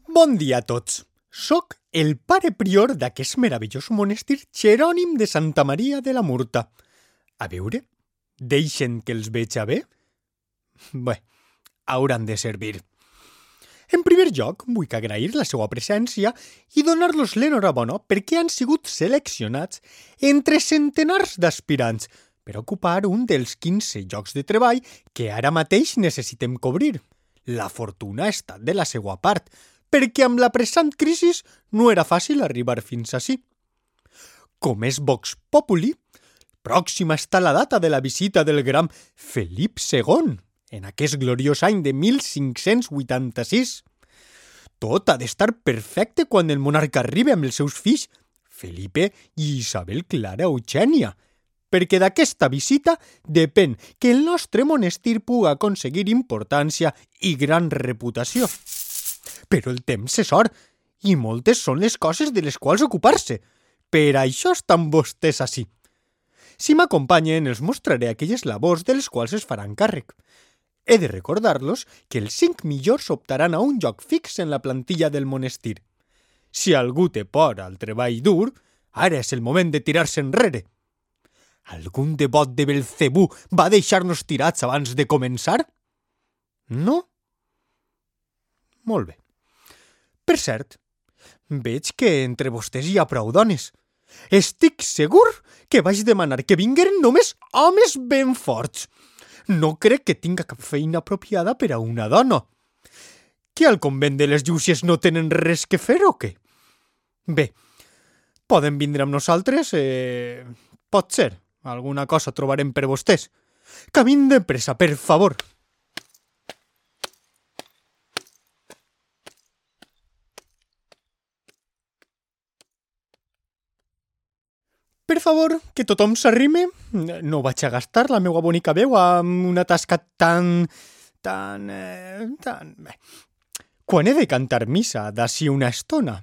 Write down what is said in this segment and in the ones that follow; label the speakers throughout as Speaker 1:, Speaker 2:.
Speaker 1: Bon dia a tots. Soc el pare prior d'aquest meravellós monestir Jerònim de Santa Maria de la Murta. A veure, deixen que els veig a bé? Bé, hauran de servir. En primer lloc, vull agrair la seva presència i donar-los l'enhorabona perquè han sigut seleccionats entre centenars d'aspirants per ocupar un dels 15 llocs de treball que ara mateix necessitem cobrir. La fortuna ha estat de la seva part, perquè amb la pressant crisi no era fàcil arribar fins ací. Com és Vox Populi, pròxima està la data de la visita del gran Felip II, en aquest gloriós any de 1586. Tot ha d'estar perfecte quan el monarca arribi amb els seus fills, Felipe i Isabel Clara Eugènia, perquè d'aquesta visita depèn que el nostre monestir pugui aconseguir importància i gran reputació. Però el temps és or, i moltes són les coses de les quals ocupar-se. Per això estan vostès ací. Si m'acompanyen, els mostraré aquelles labors de les quals es faran càrrec. He de recordar-los que els 5 millors optaran a un lloc fix en la plantilla del monestir. Si algú té por al treball dur, ara és el moment de tirar-se enrere. Algun devot de Belcebú va deixar-nos tirats abans de començar? No? Molt bé. Per cert, veig que entre vostès hi ha prou dones. Estic segur que vaig demanar que vingueren només homes ben forts. No crec que tinga cap feina apropiada per a una dona. Que al convent de les Llúcies no tenen res que fer o què? Bé, poden vindre amb nosaltres? Pot ser. Alguna cosa trobarem per vostès. Camin de pressa, per favor. Per favor, que tothom s'arrime. No vaig a gastar la meva bonica veu amb una tasca tan... Bé. Quan he de cantar missa d'ací una estona,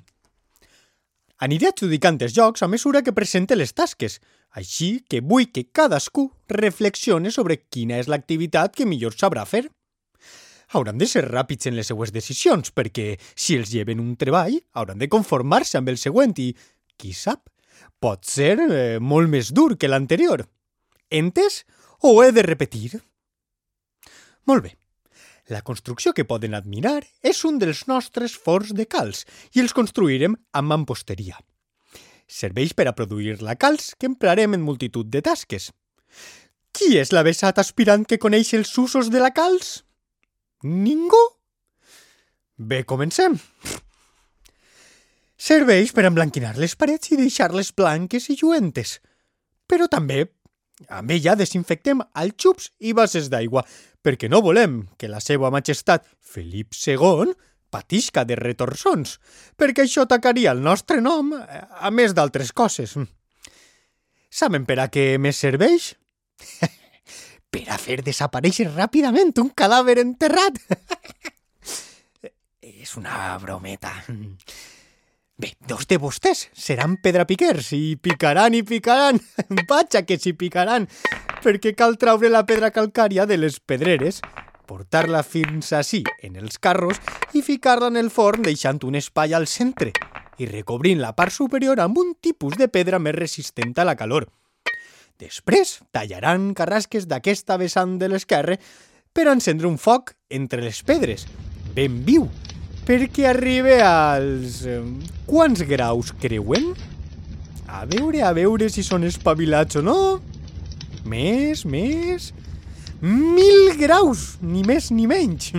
Speaker 1: aniré adjudicant els jocs a mesura que presente les tasques, així que vull que cadascú reflexione sobre quina és l'activitat que millor sabrà fer. Hauran de ser ràpids en les seues decisions, perquè si els lleven un treball, hauran de conformar-se amb el següent i, qui sap, pot ser molt més dur que l'anterior. Entès o he de repetir? Molt bé. La construcció que poden admirar és un dels nostres forns de calç i els construirem amb mamposteria. Serveix per a produir la calç que emprarem en multitud de tasques. Qui és l'avesat aspirant que coneix els usos de la calç? Ningú? Bé, comencem. Serveix per emblanquinar les parets i deixar-les blanques i lluentes. Però també amb ella desinfectem alxups i bases d'aigua, perquè no volem que la seva majestat Felip II patisca de retorçons, perquè això atacaria el nostre nom, a més d'altres coses. Saben per a què més serveix? Per a fer desaparèixer ràpidament un cadàver enterrat. És una brometa. Bé, 2 de vostès seran pedrapiquers i picaran. Vaja que s'hi picaran, perquè cal traure la pedra calcària de les pedreres, portar-la fins ací en els carros i ficar-la en el forn deixant un espai al centre i recobrint la part superior amb un tipus de pedra més resistent a la calor. Després tallaran carrasques d'aquesta vessant de l'esquerra per encendre un foc entre les pedres, ben viu, perquè arribe als... Quants graus creuen? A veure si són espavilats o no. Més... 1.000 graus, ni més ni menys.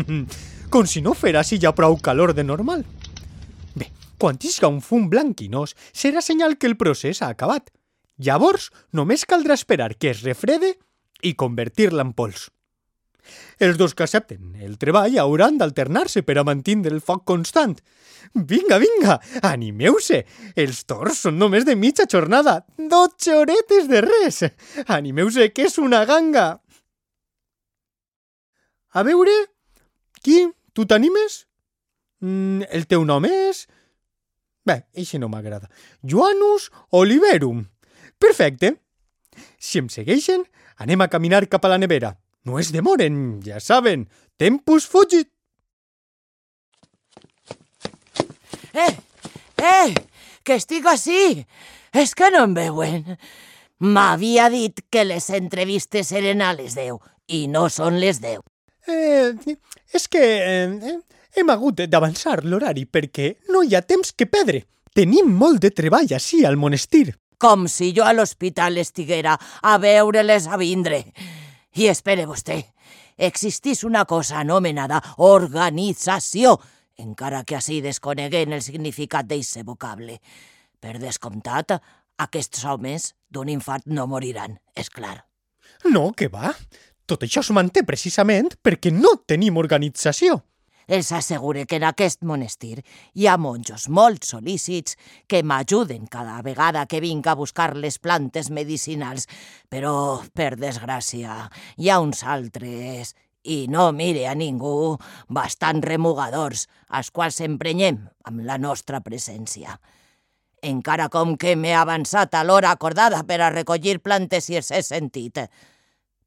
Speaker 1: Com si no fera si hi ha prou calor de normal. Bé, quan isca un fum blanquinós, serà senyal que el procés ha acabat. Llavors, només caldrà esperar que es refrede i convertir-la en pols. Els dos que accepten el treball hauran d'alternar-se per a mantenir el foc constant. Vinga, animeu-se! Els torns són només de mitja jornada, 12 horetes de res! Animeu-se, que és una ganga! A veure, qui? Tu t'animes? El teu nom és? Bé, eixe no m'agrada. Joanus Oliverum. Perfecte. Si em segueixen, anem a caminar cap a la nevera. No es demoren, ja saben. Tempus fugit.
Speaker 2: Que estic ací! És que no em veuen. M'havia dit que les entrevistes eren a les 10 i no són les 10.
Speaker 1: És que hem hagut d'avançar l'horari perquè no hi ha temps que perdre. Tenim molt de treball ací al monestir.
Speaker 2: Com si jo a l'hospital estiguera a veure-les a vindre. I espere vostè, existís una cosa anomenada organització, encara que així desconeguem el significat d'eixe vocable. Per descomptat, aquests homes d'un infart no moriran, és clar.
Speaker 1: No, que va. Tot això es manté precisament perquè no tenim organització.
Speaker 2: Els assegure que en aquest monestir hi ha monjos molt sol·lícits que m'ajuden cada vegada que vinc a buscar les plantes medicinals, però, per desgràcia, hi ha uns altres, i no mire a ningú, bastant remugadors, als quals emprenyem amb la nostra presència. Encara com que m'he avançat a l'hora acordada per a recollir plantes i els he sentit.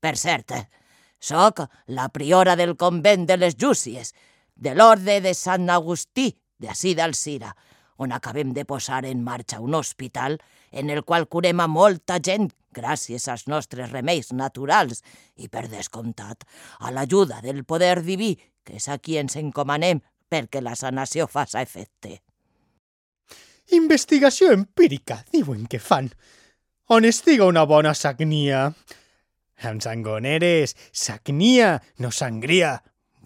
Speaker 2: Per cert, soc la priora del convent de les Llúcies, de l'Orde de Sant Agustí, d'ací d'Alzira, on acabem de posar en marxa un hospital en el qual curem a molta gent gràcies als nostres remeis naturals i, per descomptat, a l'ajuda del poder diví, que és a qui ens encomanem perquè la sanació faça efecte.
Speaker 1: Investigació empírica, diuen que fan. On estiga una bona sagnia. Amb sangoneres, sagnia, no sangria.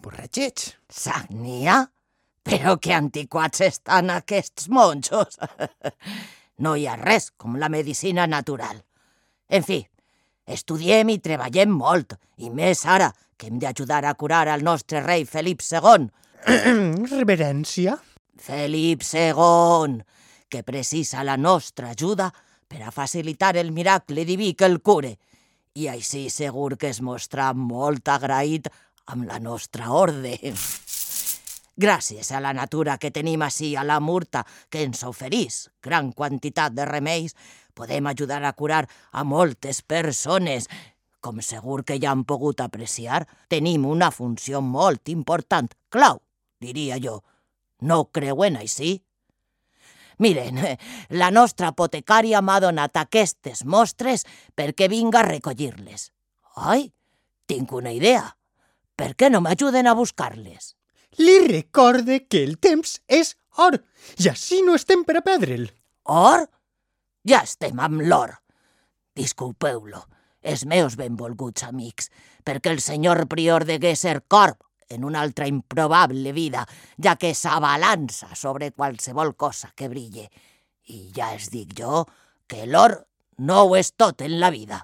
Speaker 1: Borratxets.
Speaker 2: Sagnia? Però que antiquats estan aquests monjos. No hi ha res com la medicina natural. En fi, estudiem i treballem molt, i més ara que hem d'ajudar a curar al nostre rei Felip II.
Speaker 1: Reverència?
Speaker 2: Felip II, que precisa la nostra ajuda per a facilitar el miracle diví que el cure, i així segur que es mostra molt agraït amb la nostra orde. Gràcies a la natura que tenim ací a la Murta, que ens oferís gran quantitat de remeis, podem ajudar a curar a moltes persones. Com segur que ja han pogut apreciar, tenim una funció molt important, clau, diria jo. No creuen així? Miren, la nostra apotecària m'ha donat aquestes mostres perquè vinga a recollir-les. Ai, tinc una idea. Per què no m'ajuden a buscar-les?
Speaker 1: Li recorde que el temps és or, i així no estem per a perdre'l.
Speaker 2: Or? Ja estem amb l'or. Disculpeu-lo, els meus benvolguts amics, perquè el senyor prior degué ser corb en una altra improbable vida, ja que s'abalança sobre qualsevol cosa que brille. I ja es dic jo que l'or no ho és tot en la vida.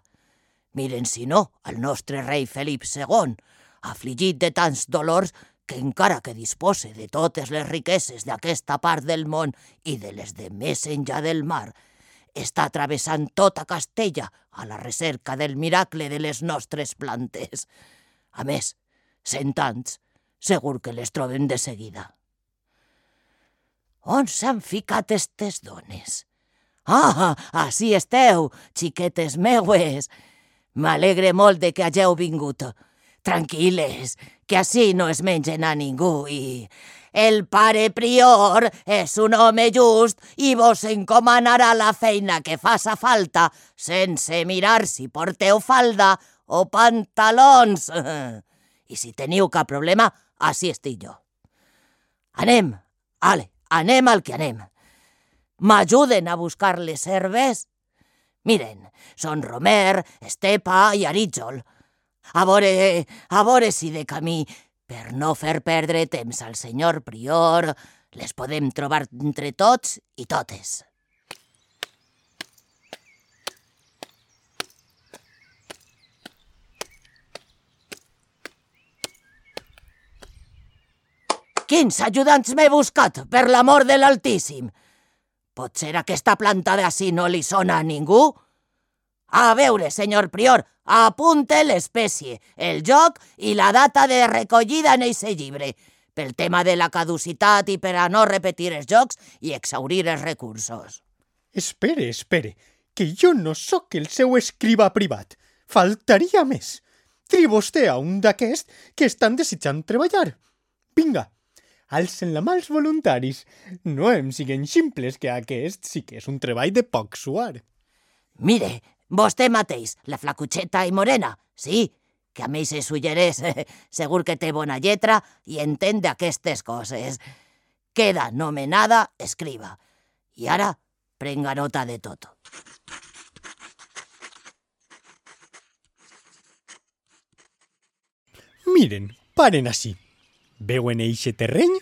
Speaker 2: Miren, si no, el nostre rei Felip II, afligit de tants dolors que encara que dispose de totes les riqueses d'aquesta part del món i de les de més enllà del mar, està travessant tota Castella a la recerca del miracle de les nostres plantes. A més, 100 anys, segur que les trobem de seguida. On s'han ficat estes dones? Ah, ací esteu, xiquetes meues. M'alegre molt de que hàgeu vingut. Tranquil·les, que ací no es mengen a ningú i... El pare prior és un home just i vos encomanarà la feina que faça falta sense mirar si porteu falda o pantalons. I si teniu cap problema, ací estic jo. Anem, anem al que anem. M'ajuden a buscar les herbes? Miren, són romer, estepa i arítjol. A veure si de camí, per no fer perdre temps al senyor prior, les podem trobar entre tots i totes. Quins ajudants m'he buscat, per l'amor de l'Altíssim? Potser aquesta planta d'ací no li sona a ningú? A veure, senyor prior, apunte l'espècie, el lloc i la data de recollida en eixe llibre, pel tema de la caducitat i per a no repetir els jocs i exhaurir els recursos.
Speaker 1: Espere, que jo no sóc el seu escriba privat. Faltaria més. Tri vostè a un d'aquests que estan desitjant treballar. Vinga, alcen la mà els voluntaris. No em siguen ximples, que aquest sí que és un treball de poc suar.
Speaker 2: Mire, vostè mateix, la flacucheta i morena, sí, que a més és ulleres, segur que té bona lletra i entén d'aquestes coses. Queda nomenada escriba. I ara, prenga nota de tot.
Speaker 1: Miren, paren ací. Veuen eixe terreny?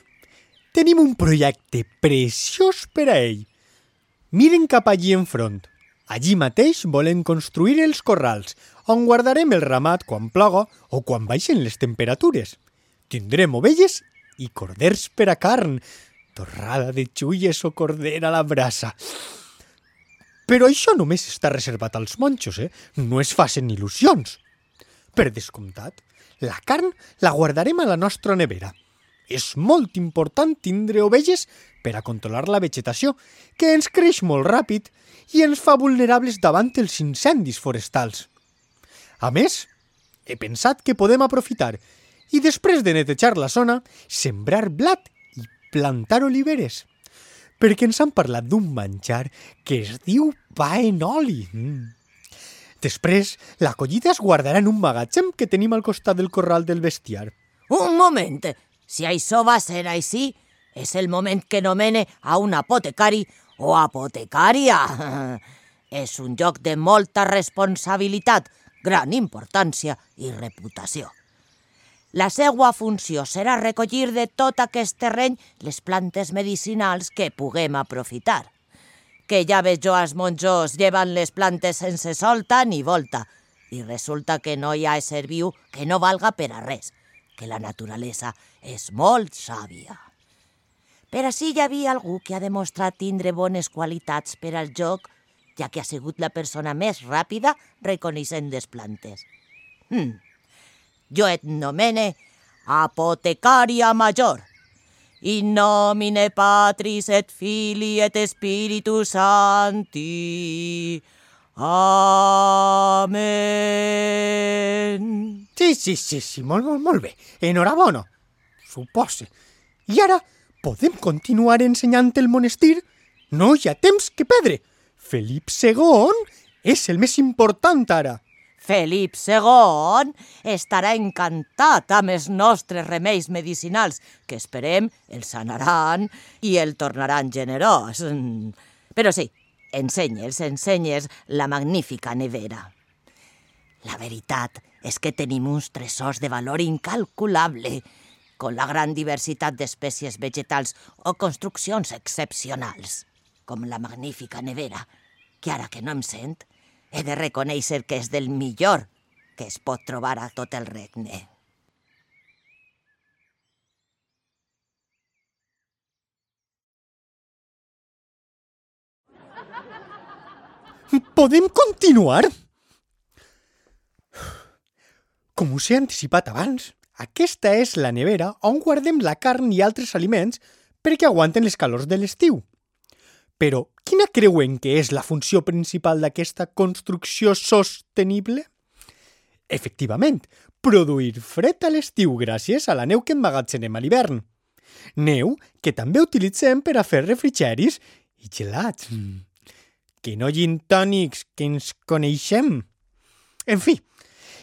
Speaker 1: Tenim un projecte preciós per a ell. Miren cap allí enfront. Allí mateix volen construir els corrals, on guardarem el ramat quan ploga o quan baixen les temperatures. Tindrem ovelles i corders per a carn, torrada de xulles o corder a la brasa. Però això només està reservat als monjos, No es facin il·lusions. Per descomptat, la carn la guardarem a la nostra nevera. És molt important tindre ovelles per a controlar la vegetació, que ens creix molt ràpid i ens fa vulnerables davant els incendis forestals. A més, he pensat que podem aprofitar i després de netejar la zona, sembrar blat i plantar oliveres, perquè ens han parlat d'un menjar que es diu pa en oli. Després, la collita es guardarà en un magatzem que tenim al costat del corral del bestiar.
Speaker 2: Un moment! Si això va ser així, és el moment que nomene a un apotecari o apotecària. És un lloc de molta responsabilitat, gran importància i reputació. La seva funció serà recollir de tot aquest terreny les plantes medicinals que puguem aprofitar. Que ja veig jo als monjos llevant les plantes sense solta ni volta, i resulta que no hi ha ésser viu que no valga per a res, que la naturalesa és molt sàvia. Per així hi havia algú que ha demostrat tindre bones qualitats per al joc, ja que ha sigut la persona més ràpida reconeixent les plantes. Jo et nomene apotecària major. In nomine Patris et Filii et Spiritus Sancti. Amen.
Speaker 1: Sí, molt bé. Enhorabona, supose. I ara podem continuar ensenyant el monestir? No hi ha temps que perdre. Felip II és el més important ara.
Speaker 2: Felip II estarà encantat amb els nostres remeis medicinals, que esperem el sanaran i el tornaran generós. Però sí, ensenyes la magnífica nevera. La veritat és que tenim uns tresors de valor incalculable, con la gran diversitat d'espècies vegetals o construccions excepcionals, com la magnífica nevera, que ara que no em sent, he de reconèixer que és del millor que es pot trobar a tot el regne.
Speaker 1: Podem continuar? Com us he anticipat abans, aquesta és la nevera on guardem la carn i altres aliments perquè aguanten les calors de l'estiu. Però quina creuen que és la funció principal d'aquesta construcció sostenible? Efectivament, produir fred a l'estiu gràcies a la neu que emmagatzenem a l'hivern. Neu que també utilitzem per a fer refrigeris i gelats. Que no gin tònics, que ens coneixem. En fi,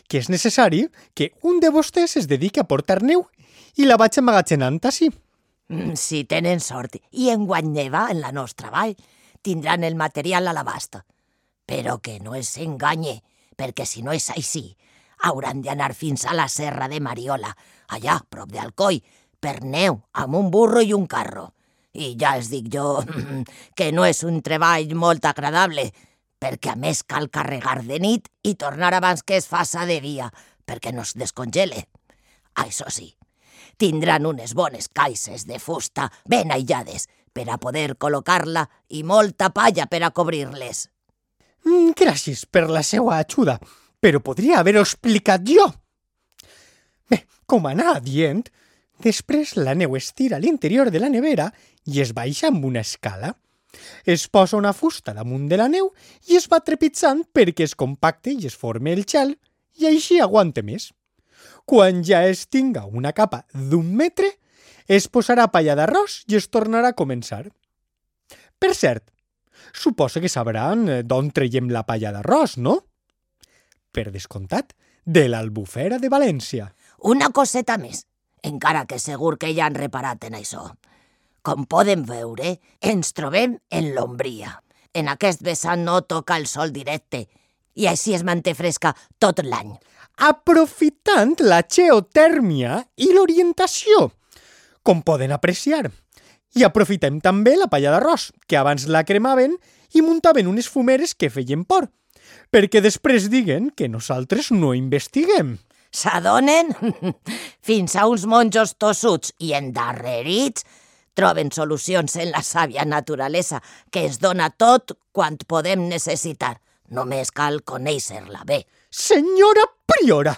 Speaker 1: que és necessari que un de vostès es dediqui a portar neu i la vaig emmagatzenant així.
Speaker 2: Si tenen sort i enguany neva en la nostra vall, tindran el material a l'abast. Però que no els enganye, perquè si no és així, hauran d'anar fins a la serra de Mariola, allà, prop d'Alcoi, per neu, amb un burro i un carro. I ja els dic jo que no és un treball molt agradable, perquè a més cal carregar de nit i tornar abans que es faça de dia, perquè no es descongele. Això sí, tindran unes bones caixes de fusta ben aïllades per a poder col·locar-la i molta palla per a cobrir-les.
Speaker 1: Gràcies per la seva ajuda, però podria haver-ho explicat jo. Bé, com anava dient, després la neu es tira a l'interior de la nevera i es baixa amb una escala. Es posa una fusta damunt de la neu i es va trepitjant perquè es compacte i es forme el gel i així aguante més. Quan ja es tinga una capa d'1 metre, es posarà palla d'arròs i es tornarà a començar. Per cert, suposo que sabran d'on traiem la palla d'arròs, no? Per descomptat, de l'Albufera de València.
Speaker 2: Una coseta més, encara que segur que ja han reparat en això. Com poden veure, ens trobem en l'ombria. En aquest vessant no toca el sol directe i així es manté fresca tot l'any.
Speaker 1: Aprofitant la geotèrmia i l'orientació, com poden apreciar. I aprofitem també la palla d'arròs, que abans la cremaven i muntaven unes fumeres que feien por, perquè després diguen que nosaltres no investiguem.
Speaker 2: S'adonen? Fins a uns monjos tossuts i endarrerits troben solucions en la sàvia naturalesa que es dona tot quan podem necessitar. Només cal conèixer-la bé.
Speaker 1: Senyora priora,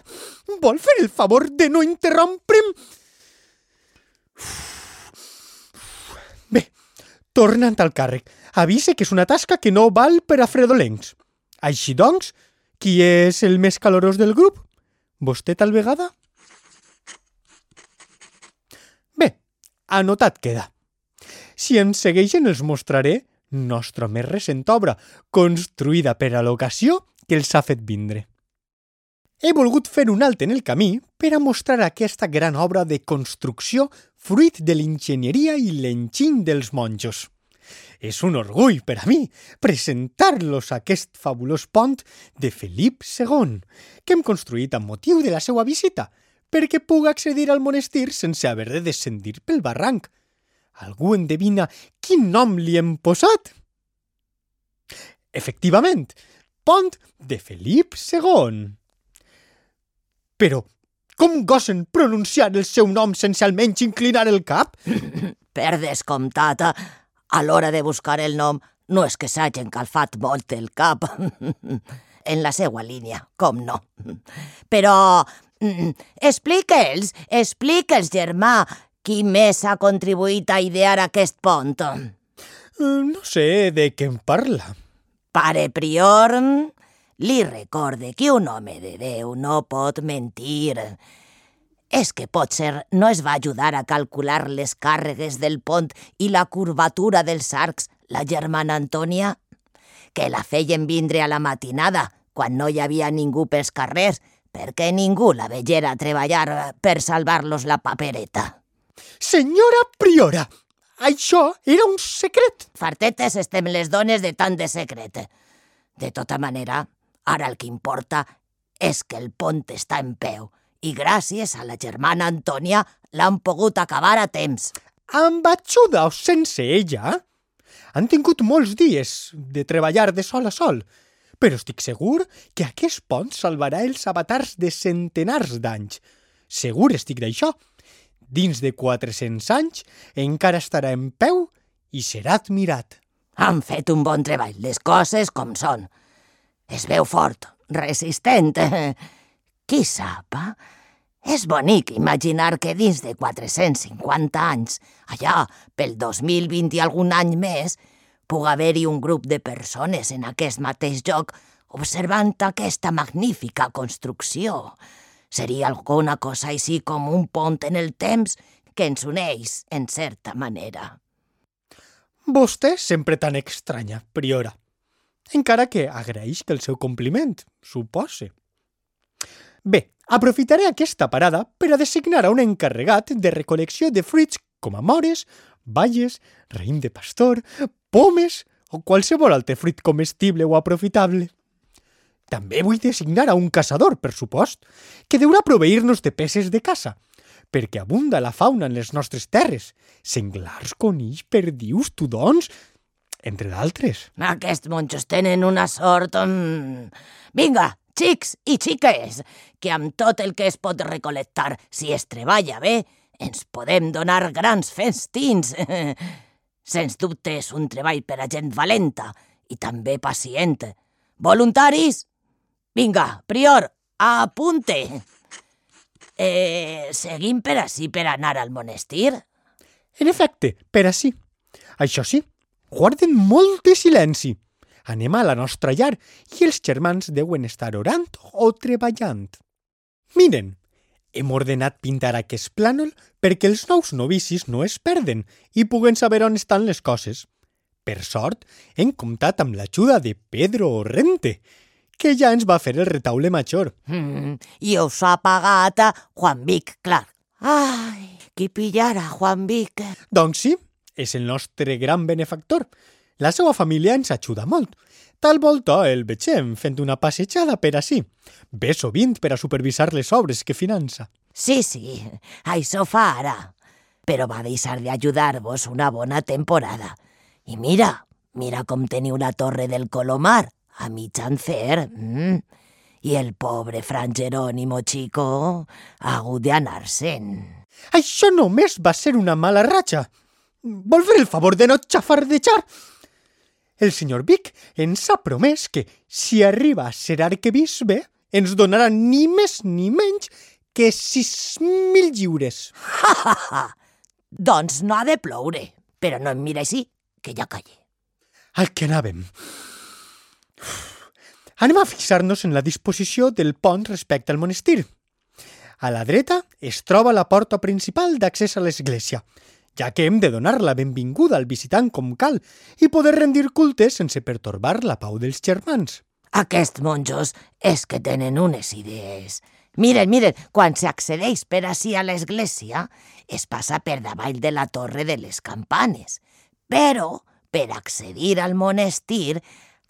Speaker 1: vol fer el favor de no interrompre'm? Bé, tornant al càrrec, avise que és una tasca que no val per a fredolencs. Així doncs, qui és el més calorós del grup? Vostè tal vegada? Bé, anotat queda. Si ens segueixen els mostraré nostra més recent obra, construïda per a l'ocasió que els ha fet vindre. He volgut fer un alt en el camí per a mostrar aquesta gran obra de construcció fruit de l'enginyeria i l'enginy dels monjos. És un orgull per a mi presentar-los aquest fabulós pont de Felip II, que hem construït amb motiu de la seva visita, perquè puga accedir al monestir sense haver de descendir pel barranc. Algú endevina quin nom li hem posat? Efectivament, pont de Felip II. Però, com gosen pronunciar el seu nom sense almenys inclinar el cap?
Speaker 2: Per descomptat, a l'hora de buscar el nom no és que s'hagin calfat molt el cap. En la seva línia, com no. Però explique'ls, germà, qui més ha contribuït a idear aquest pont?
Speaker 1: No sé de què em parla.
Speaker 2: Pare prior, li recorde que un home de Déu no pot mentir. És que potser no es va ajudar a calcular les càrregues del pont i la curvatura dels arcs la germana Antònia, que la feien vindre a la matinada, quan no hi havia ningú pels carrers, perquè ningú la veiera treballar per salvar-los la papereta.
Speaker 1: Senyora priora, això era un secret.
Speaker 2: Fartetes estem les dones de tant de secret. De tota manera, ara el que importa és que el pont està en peu i gràcies a la germana Antònia l'han pogut acabar a temps.
Speaker 1: Amb ajuda o sense ella, han tingut molts dies de treballar de sol a sol, però estic segur que aquest pont salvarà els avatars de centenars d'anys. Segur estic d'això. Dins de 400 anys encara estarà en peu i serà admirat.
Speaker 2: Han fet un bon treball, les coses com són. Es veu fort, resistent. Qui sap? És bonic imaginar que dins de 450 anys, allà pel 2020 i algun any més, puga haver-hi un grup de persones en aquest mateix lloc observant aquesta magnífica construcció. Seria alguna cosa així com un pont en el temps que ens uneix, en certa manera.
Speaker 1: Vostè sempre tan estranya, priora. Encara que agraeix el seu compliment, supose. Bé, aprofitaré aquesta parada per a designar a un encarregat de recol·lecció de fruits com a mores, baies, raïm de pastor, pomes o qualsevol altre fruit comestible o aprofitable. També vull designar a un caçador, per supost, que deurà proveir-nos de peces de caça, perquè abunda la fauna en les nostres terres, senglars, conills, perdius, tudons, entre d'altres.
Speaker 2: Aquests monjos tenen una sort... Vinga, xics i xiques, que amb tot el que es pot recol·lectar, si es treballa bé, ens podem donar grans festins. Sens dubte és un treball per a gent valenta i també pacient. Voluntaris? Vinga, prior, apunte. Seguim per ací per anar al monestir?
Speaker 1: En efecte, per ací. Això sí, guarden molt de silenci. Anem a la nostra llar i els germans deuen estar orant o treballant. Miren, Hem ordenat pintar aquest plànol perquè els nous novicis no es perden i puguen saber on estan les coses. Per sort, hem comptat amb l'ajuda de Pedro Rente, que ja ens va fer el retaule major.
Speaker 2: I us ha pagat a Juan Vic, clar. Ai, qui pillara Juan Vic.
Speaker 1: Doncs sí, és el nostre gran benefactor. La seva família ens ajuda molt. Tal volta el vegem fent una passejada per ací. Ve sovint per a supervisar les obres que finança.
Speaker 2: Sí, això fa ara. Però va deixar d'ajudar-vos una bona temporada. I mira com teniu la torre del Colomar, a mitjan fer. I el pobre Fran Jerónimo Chico ha hagut d'anar-se'n.
Speaker 1: Això només va ser una mala ratxa. Vol fer el favor de no xafardejar? El senyor Vic ens ha promès que, si arriba a ser arquebisbe, ens donarà ni més ni menys que 6.000 lliures.
Speaker 2: Doncs no ha de ploure, però no em mira així, que ja calle.
Speaker 1: Al que anàvem. Anem a fixar-nos en la disposició del pont respecte al monestir. A la dreta es troba la porta principal d'accés a l'església, ja que hem de donar la benvinguda al visitant com cal i poder rendir culte sense pertorbar la pau dels germans.
Speaker 2: Aquests monjos és que tenen unes idees. Miren, quan s'accedeix per ací a l'església, es passa per davall de la torre de les campanes. Però, per accedir al monestir,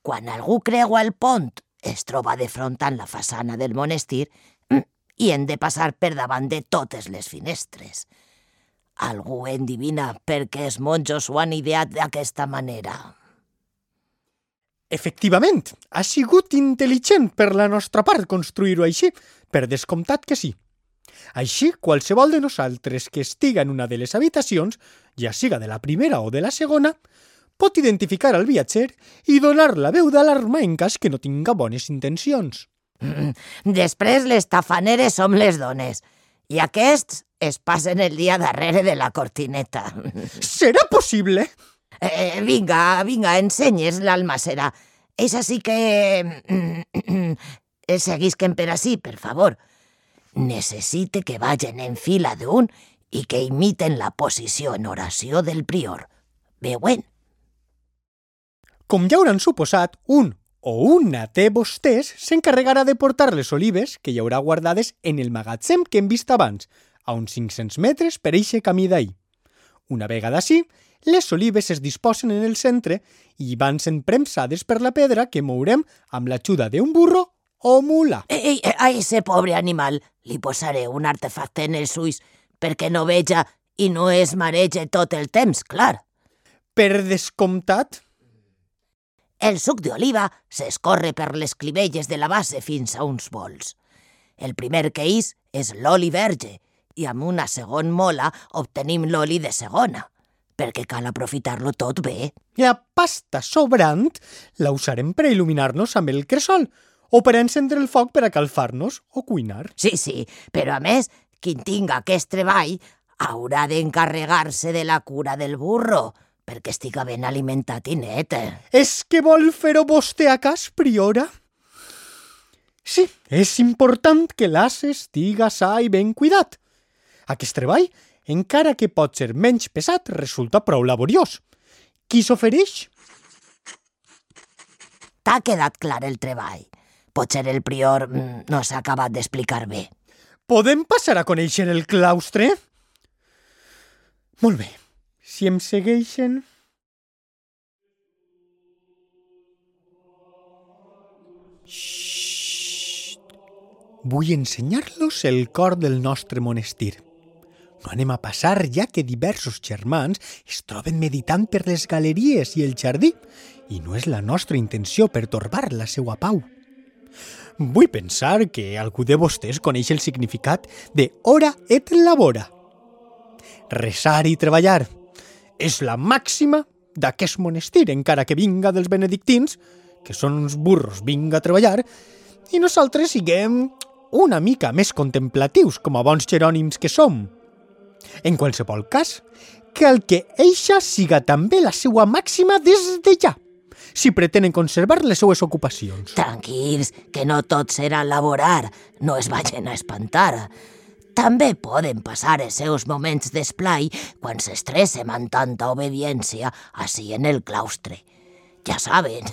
Speaker 2: quan algú creua el pont, es troba de front amb la façana del monestir i hem de passar per davant de totes les finestres. Algú endivina per què els monjos ho han ideat d'aquesta manera.
Speaker 1: Efectivament, ha sigut intel·ligent per la nostra part construir-ho així, per descomptat que sí. Així, qualsevol de nosaltres que estiga en una de les habitacions, ja siga de la primera o de la segona, pot identificar el viatger i donar la veu d'alarma en cas que no tinga bones intencions.
Speaker 2: Després les tafaneres som les dones i aquests es passen el dia darrere de la cortineta.
Speaker 1: Serà possible?
Speaker 2: Vinga, ensenyes l'almacera. És així que... Seguisquen per ací, per favor. Necessite que vagin en fila d'un i que imiten la posició en oració del prior. Veuen?
Speaker 1: Com ja hauran suposat, un o una de vostès s'encarregarà de portar les olives que hi haurà guardades en el magatzem que hem vist abans, a uns 500 metres per eixe camí d'ahir. Una vegada així, les olives es disposen en el centre i van sent premsades per la pedra que mourem amb l'ajuda d'un burro o mula.
Speaker 2: A ese pobre animal li posaré un artefacte en els ulls perquè no veja i no es marege tot el temps, clar.
Speaker 1: Per descomptat.
Speaker 2: El suc d'oliva s'escorre per les clivelles de la base fins a uns bols. El primer que és l'oli verge i amb una segon mola obtenim l'oli de segona, perquè cal aprofitar-lo tot bé.
Speaker 1: La pasta sobrant la usarem per il·luminar-nos amb el cresol o per encendre el foc per a calfar-nos o cuinar.
Speaker 2: Sí, però a més, qui tinga aquest treball haurà d'encarregar-se de la cura del burro, perquè estiga ben alimentat i net.
Speaker 1: És que vol fer-ho vostè a cas, priora? Sí, és important que l'as estiga sa i ben cuidat. Aquest treball, encara que pot ser menys pesat, resulta prou laboriós. Qui s'ofereix?
Speaker 2: T'ha quedat clar el treball. Potser el prior no s'ha acabat d'explicar bé.
Speaker 1: Podem passar a conèixer el claustre? Molt bé. Si em segueixen... Xxxt! Vull ensenyar-los el cor del nostre monestir. No anem a passar, ja que diversos germans es troben meditant per les galeries i el jardí, i no és la nostra intenció pertorbar la seua pau. Vull pensar que algú de vostès coneix el significat de ora et labora. Resar i treballar és la màxima d'aquest monestir, encara que vinga dels benedictins, que són uns burros vinga a treballar, i nosaltres siguem una mica més contemplatius com a bons jerònims que som. En qualsevol cas, cal que eixa siga també la seua màxima des de ja, si pretenen conservar les seues ocupacions.
Speaker 2: Tranquils, que no tot serà laborar, no es vagin a espantar. També poden passar els seus moments d'esplai quan s'estressen amb tanta obediència així en el claustre. Ja saben,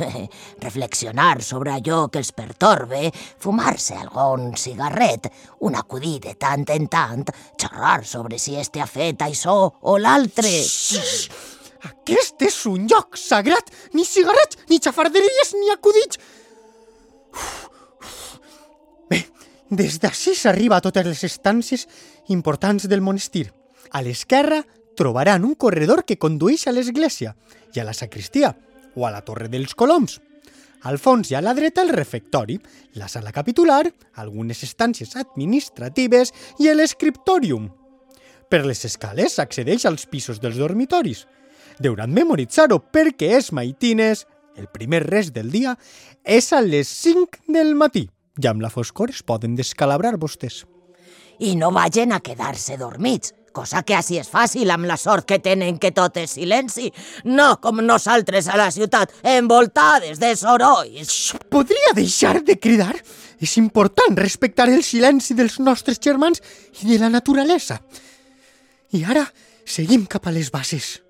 Speaker 2: reflexionar sobre allò que els pertorbe, fumar-se algun cigarret, un acudit de tant en tant, xerrar sobre si este ha fet això o l'altre.
Speaker 1: Aquest és un lloc sagrat! Ni cigarrets, ni xafarderies, ni acudits! Bé, des d'ací s'arriba a totes les estàncies importants del monestir. A l'esquerra trobaran un corredor que condueix a l'església i a la sacristia, o a la Torre dels Coloms. Al fons i a la dreta el refectori, la sala capitular, algunes estàncies administratives i l'escriptòrium. Per les escales s'accedeix als pisos dels dormitoris. Deuran memoritzar-ho perquè és maitines, el primer res del dia, és a les 5 del matí. Ja amb la foscor es poden descalabrar vostès.
Speaker 2: I no vagin a quedar-se dormits, cosa que així és fàcil amb la sort que tenen que tot és silenci, no com nosaltres a la ciutat, envoltades de sorolls.
Speaker 1: Podria deixar de cridar? És important respectar el silenci dels nostres germans i de la naturalesa. I ara seguim cap a les bases.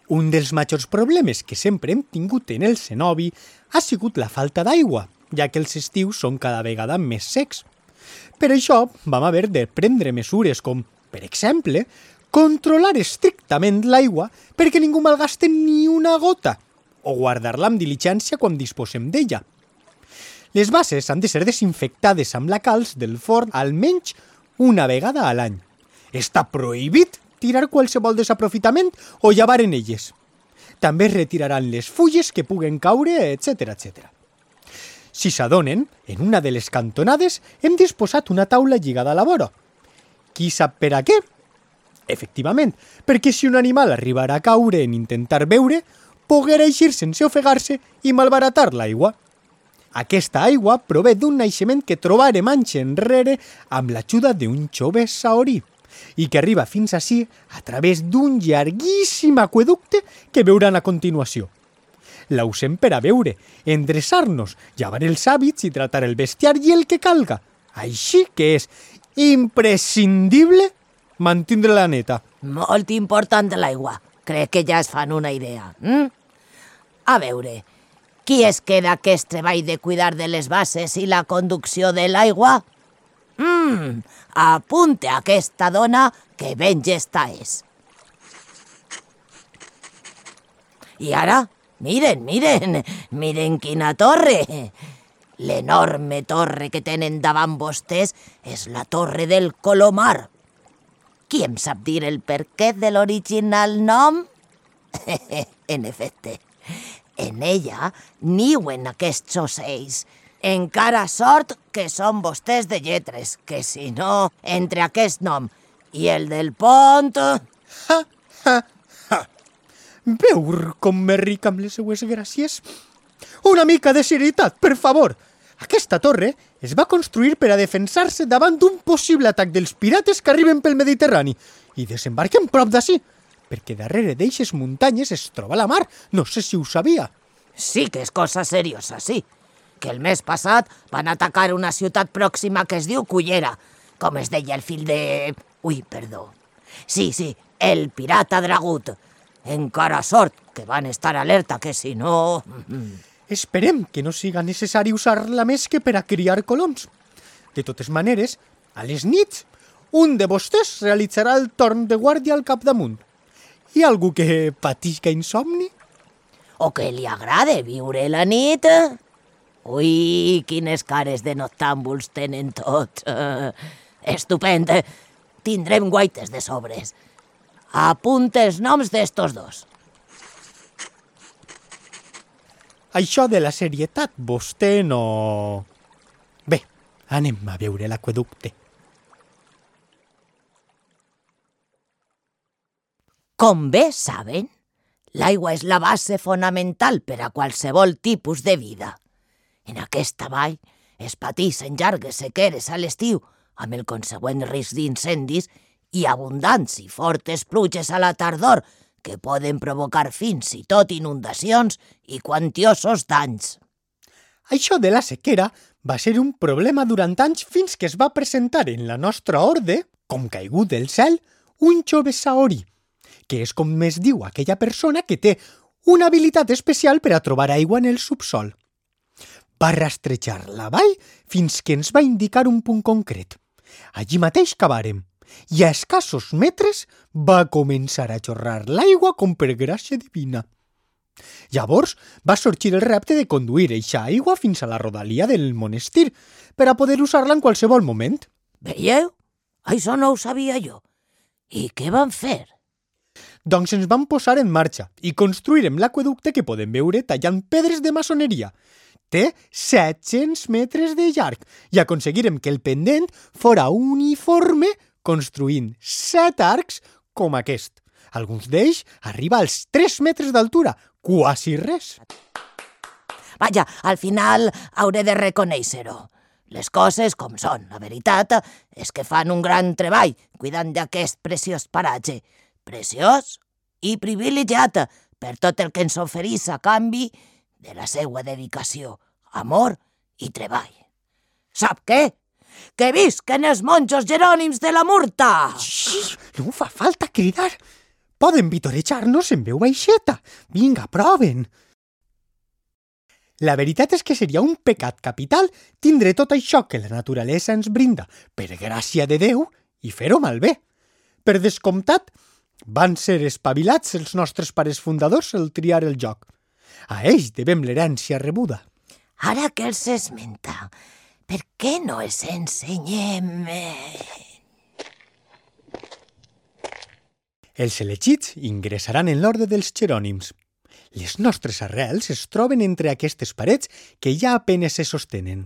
Speaker 1: Un dels majors problemes que sempre hem tingut en el cenobi ha sigut la falta d'aigua, ja que els estius són cada vegada més secs. Per això vam haver de prendre mesures com, per exemple, controlar estrictament l'aigua perquè ningú malgaste ni una gota, o guardar-la amb diligència quan disposem d'ella. Les bases han de ser desinfectades amb la calç del forn almenys una vegada a l'any. Està prohibit tirar qualsevol desaprofitament o llevar en elles. També es retiraran les fulles que puguen caure, etc. etc. Si s'adonen, en una de les cantonades hem disposat una taula lligada a la vora. Qui sap per a què? Efectivament, perquè si un animal arribarà a caure en intentar beure, poguera eixir sense ofegar-se i malbaratar l'aigua. Aquesta aigua prové d'un naixement que trobarem anys enrere amb l'ajuda d'un jove saorí i que arriba fins ací a través d'un llarguíssim aqüeducte que veuran a continuació. La usem per a beure, endreçar-nos, llevar els hàbits i tratar el bestiar i el que calga. Així que és imprescindible mantindre-la neta.
Speaker 2: Molt important l'aigua. Crec que ja es fan una idea. A veure, qui es queda aquest treball de cuidar de les bases i la conducció de l'aigua? Apunte a aquesta dona que ben llesta és. I ara, miren quina torre. L'enorme torre que tenen davant vostès és la torre del Colomar. Qui em sap dir el perquè de l'original nom? En efecte, en ella niuen aquests ocells. Encara sort que són vostès de lletres, que si no, entre aquest nom i el del pont...
Speaker 1: Veur com me ric amb les seues gràcies? Una mica de serietat, per favor! Aquesta torre es va construir per a defensar-se davant d'un possible atac dels pirates que arriben pel Mediterrani i desembarquen prop d'ací, perquè darrere d'eixes muntanyes es troba la mar. No sé si ho sabia.
Speaker 2: Sí que és cosa seriosa, sí. Que el mes passat van atacar una ciutat pròxima que es diu Cullera, com es deia el fill de... Ui, perdó. Sí, el pirata Dragut. Encara sort que van estar alerta, que si no...
Speaker 1: Esperem que no siga necessari usar-la més que per a criar coloms. De totes maneres, a les nits, un de vostès realitzarà el torn de guàrdia al capdamunt. Hi ha algú que patisca insomni?
Speaker 2: O que li agrade viure la nit? Ui, quines cares de noctàmbuls tenen tots. Estupend. Tindrem guaites de sobres. Apunta els noms d'estos dos.
Speaker 1: Això de la serietat, vostè no... Bé, anem a veure l'aqüeducte.
Speaker 2: Com bé saben, l'aigua és la base fonamental per a qualsevol tipus de vida. En aquesta vall es pateixen llargues sequeres a l'estiu, amb el consegüent risc d'incendis i abundants i fortes pluges a la tardor, que poden provocar fins i tot inundacions i quantiosos danys.
Speaker 1: Això de la sequera va ser un problema durant anys fins que es va presentar en la nostra orde, com caigut del cel, un jove saori, que és com es diu aquella persona que té una habilitat especial per a trobar aigua en el subsol. Va rastrejar la vall fins que ens va indicar un punt concret. Allí mateix cavàrem, i a escassos metres va començar a xorrar l'aigua com per gràcia divina. Llavors va sorgir el repte de conduir eixa aigua fins a la rodalia del monestir per a poder usar-la en qualsevol moment.
Speaker 2: Veieu? Això no ho sabia jo. I què van fer?
Speaker 1: Doncs ens vam posar en marxa i construirem l'aqueducte que podem veure tallant pedres de maçoneria. Té 700 metres de llarg i aconseguirem que el pendent fora uniforme construint 7 arcs com aquest. Alguns d'ells arriba als 3 metres d'altura, quasi res.
Speaker 2: Vaja, al final hauré de reconèixer-ho. Les coses com són, la veritat és que fan un gran treball cuidant d'aquest preciós paratge. Preciós i privilegiat per tot el que ens oferís a canvi de la seva dedicació, amor i treball. Sap què? Que visquen els monjos jerònims de la Murta!
Speaker 1: Xxxt, no fa falta cridar. Poden vitorejar-nos en veu baixeta. Vinga, proven. La veritat és que seria un pecat capital tindre tot això que la naturalesa ens brinda per gràcia de Déu i fer-ho malbé. Per descomptat, van ser espavilats els nostres pares fundadors al triar el joc. A ells devem l'herència rebuda.
Speaker 2: Ara que els esmenta, per què no els ensenyem?
Speaker 1: Els elegits ingressaran en l'orde dels jerònims. Les nostres arrels es troben entre aquestes parets que ja apenes se sostenen.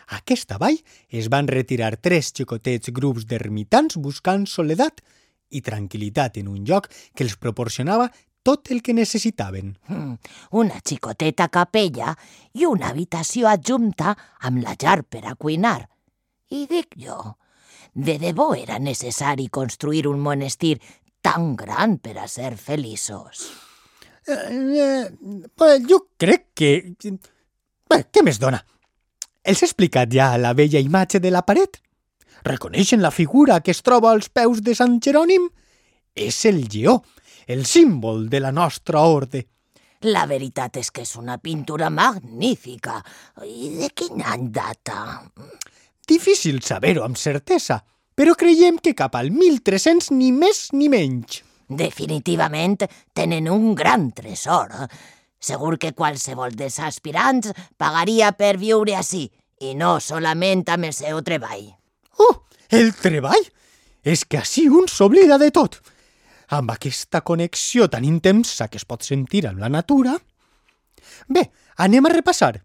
Speaker 1: A aquesta vall es van retirar 3 xicotets grups d'ermitans buscant soledat i tranquil·litat en un lloc que els proporcionava tot el que necessitaven.
Speaker 2: Una xicoteta capella i una habitació adjunta amb la llar per a cuinar. I dic jo, de debò era necessari construir un monestir tan gran per a ser feliços.
Speaker 1: Jo crec que... Què més dona? Els he explicat ja la bella imatge de la paret? Reconeixen la figura que es troba als peus de Sant Jerònim? És el lleó, el símbol de la nostra orde.
Speaker 2: La veritat és que és una pintura magnífica. I de quin any data?
Speaker 1: Difícil saber-ho amb certesa, però creiem que cap al 1300 ni més ni menys.
Speaker 2: Definitivament tenen un gran tresor. Segur que qualsevol dels aspirants pagaria per viure ací, i no solament amb el seu treball.
Speaker 1: Oh, el treball? És que ací un s'oblida de tot. Amb aquesta connexió tan intensa que es pot sentir amb la natura... Bé, anem a repassar.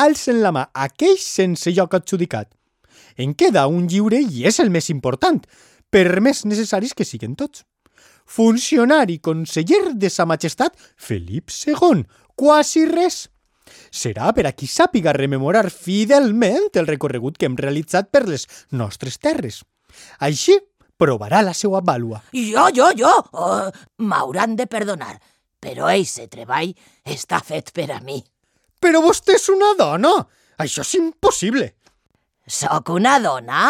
Speaker 1: Alcen la mà aquells sense lloc adjudicat. En queda un lliure i és el més important, per més necessaris que siguen tots. Funcionari conseller de Sa Majestat Felip II, quasi res. Serà per a qui sàpiga rememorar fidelment el recorregut que hem realitzat per les nostres terres. Així provarà la seva vàlua.
Speaker 2: Jo! M'hauran de perdonar, però eixe treball està fet per a mi.
Speaker 1: Però vostè és una dona! Això és impossible!
Speaker 2: Soc una dona?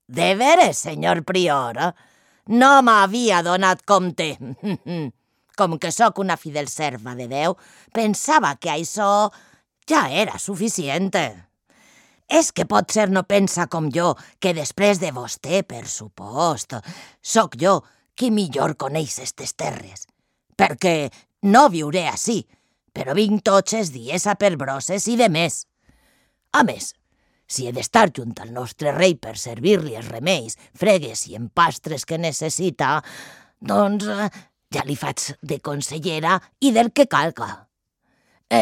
Speaker 2: De veres, senyor prior? No m'havia donat compte. Com que sóc una fidel serva de Déu, pensava que això ja era suficient. És que potser no pensa com jo, que després de vostè, per supost, sóc jo qui millor coneix estes terres. Perquè no viuré ací, però vinc tots els dies a per brosses i de més. A més, si he d'estar junt al nostre rei per servir-li els remeis, fregues i empastres que necessita, doncs ja li faig de consellera i del que calga.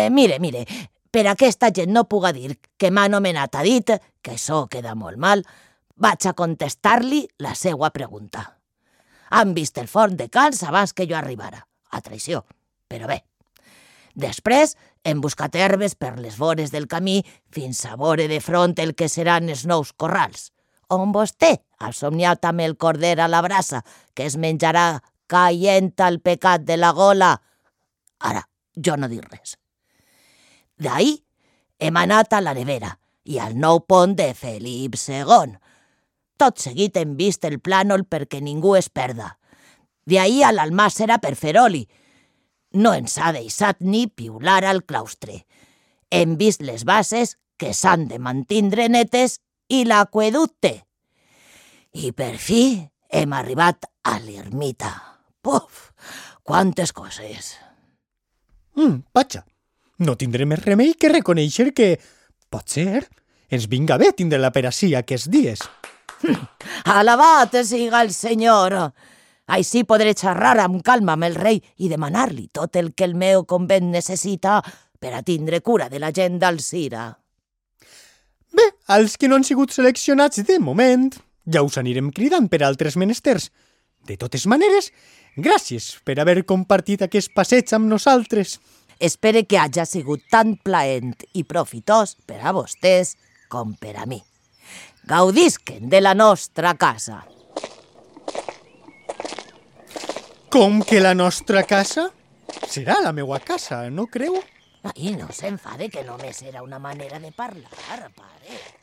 Speaker 2: Mire, per aquesta gent no puga dir que m'ha anomenat a dit, que això queda molt mal, vaig a contestar-li la seva pregunta. Han vist el forn de calç abans que jo arribara, a traïció, però bé. Després hem buscat herbes per les vores del camí fins a veure de front el que seran els nous corrals, on vostè ha somniat amb el corder a la brasa que es menjarà caient al pecat de la gola. Ara, jo no dic res. D'ahí hem anat a la nevera i al nou pont de Felip II. Tot seguit hem vist el plànol perquè ningú es perda. D'ahí a l'Almàssera per fer oli. No ens ha deixat ni piular al claustre. Hem vist les bases que s'han de mantindre netes i l'aqüeducte. I per fi hem arribat a l'ermita. Puf, quantes coses!
Speaker 1: Vaja, no tindré més remei que reconèixer que, potser, ens vinga bé tindre-la per ací aquests dies.
Speaker 2: Alabat siga el Senyor! Així podré xerrar amb calma amb el rei i demanar-li tot el que el meu convent necessita per a tindre cura de la gent d'Alzira.
Speaker 1: Bé, als que no han sigut seleccionats de moment, ja us anirem cridant per altres menesters. De totes maneres, gràcies per haver compartit aquest passeig amb nosaltres.
Speaker 2: Espere que hagi sigut tan plaent i profitós per a vostès com per a mi. Gaudisquen de la nostra casa.
Speaker 1: Com que la nostra casa? Serà la meua casa, no creu?
Speaker 2: Ai, no s'enfade, que només era una manera de parlar, pare.